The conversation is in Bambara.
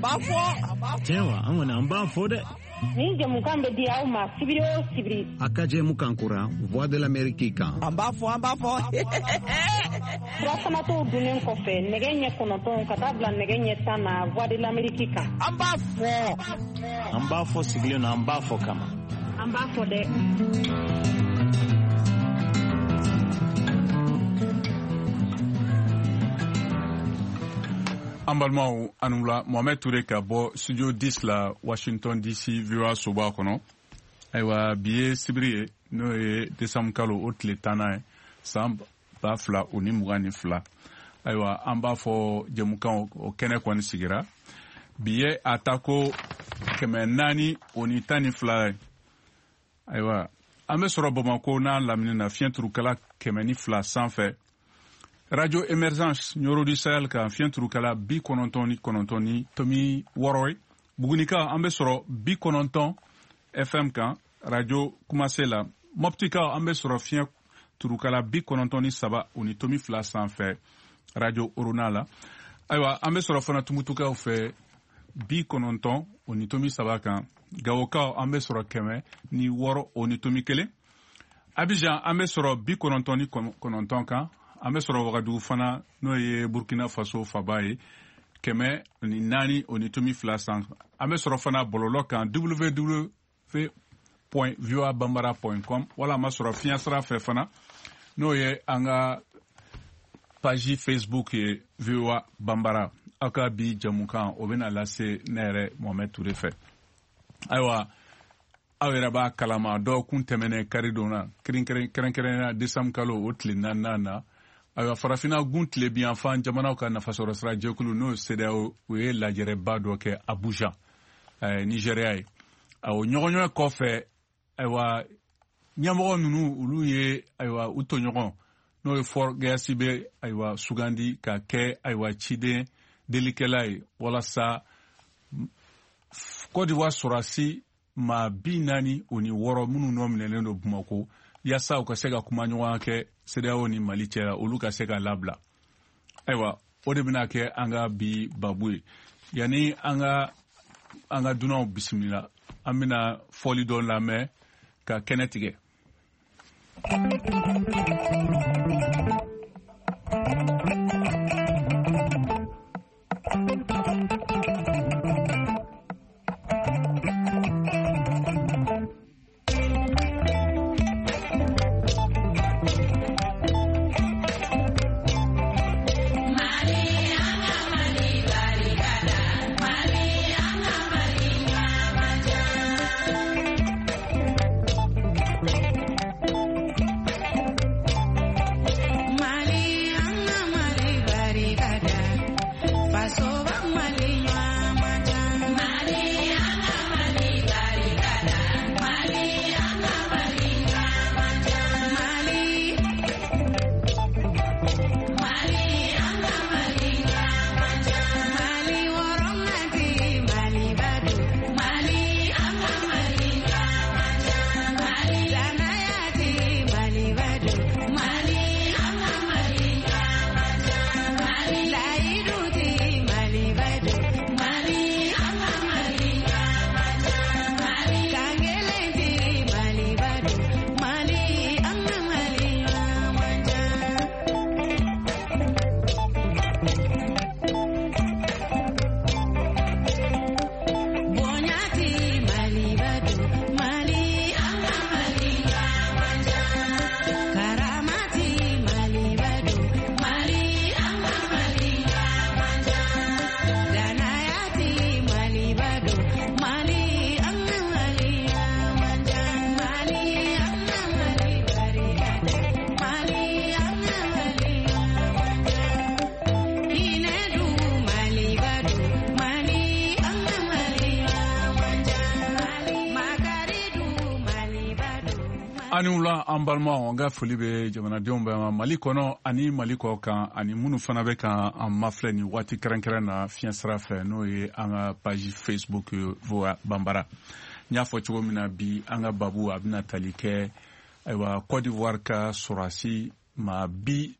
An b'a fɔ. Tiɲɛ wa, an kɔni an b'a fɔ dɛ. Nin jɛmukan bɛ di aw ma sibiri o sibiri. A ka jɛmukan kura Voix de l'Amérique kan. An b'a fɔ, an b'a fɔ. Sirafanatɔw dunnen kɔfɛ nɛgɛ ɲɛ 9 ka taa bila nɛgɛ ɲɛ 10 na Voix de l'Amérique kan. An b'a fɔ. An b'a fɔ sigilen na, an b'a fɔ kama. An b'a fɔ dɛ. An balimaw, aw ni wula. Mohamed Touré ka bɔ studio 10 la, Washington DC, VOA soba kɔnɔ. Ayiwa, bi ye sibiri ye, n'o ye décembre kalo o tile 10nan ye, san 2022. Ayiwa, an b'a fɔ jɛmukan o kɛnɛ kɔni sigira. Bi ye a ta ko 412 ye. Ayiwa, an bɛ sɔrɔ Bamako n'a lamini na, fiɲɛ turukala 102 sanfɛ. Radio Emergence Nioro du Sahel kan, fiɲɛ turukala 99.6 ye. Bugunika, an bɛ sɔrɔ 90 FM kan, Radio Kumase la. Moptika, an bɛ sɔrɔ fiɲɛ turukala 93.2 sanfɛ, Radio Orona la. Ayiwa, an bɛ sɔrɔ fana Tumutukaw fɛ 90.3 kan. Gawokaw, an bɛ sɔrɔ 106.1. Abidjan, an bɛ sɔrɔ 99 kan. An bɛ sɔrɔ Wagadugu fana, n'o ye Burkina Faso faba ye, 104.2 san. An bɛ sɔrɔ fana bɔlɔlɔ kan, www.voabambara.com, wala an b'a sɔrɔ fiɲɛ sira fɛ fana, n'o ye an ka page Facebook ye, VOA Bambara. Aw ka bi jɛmukan o bɛna lase ne yɛrɛ Mohamed Touré fɛ. Ayiwa, aw yɛrɛ b'a kalama, dɔgɔkun tɛmɛnen karidon na, kɛrɛnkɛrɛnnenya décembre kalo o tile 4nan na, ayiwa, farafinna gun tilebinyanfan jamanaw ka nafasɔrɔsira jɛkulu, n'o ye CEDEAO, o ye lajɛrɛba dɔ kɛ Abuja, Nigéria ye. O ɲɔgɔnɲɔgɔn kɔfɛ, ayiwa, ɲɛmɔgɔ ninnu olu ye, ayiwa, u tɔɲɔgɔn, n'o ye Faure Gnassingbé, ayiwa, sugandi ka kɛ, ayiwa, ciden delikɛla ye, walasa Côte d'Ivoire sɔrɔdasi maa 46 minnu nɔ minɛlen don Bamako, yaasa u ka se ka kuma ɲɔgɔnya kɛ CEDEAO ni Mali cɛ la, olu ka se ka labila. Ayiwa, o de bɛna kɛ an ka bi babu ye. Yanni an ka dunanw bisimila, an bɛna fɔli dɔ lamɛn ka kɛnɛ tigɛ. Ani wula, an balimaw, an ka foli bɛ jamanadenw bɛɛ ma Mali kɔnɔ ani Mali kɔ kan, ani minnu fana bɛ ka an mafilɛ nin waati kɛrɛnkɛrɛn na fiɲɛ sira fɛ, n'o ye an ka page Facebook VOA Bambara. N y'a fɔ cogo min na, bi an ka babu a bɛna tali kɛ, ayiwa, Côte d'Ivoire ka sɔrɔdasi maa 46.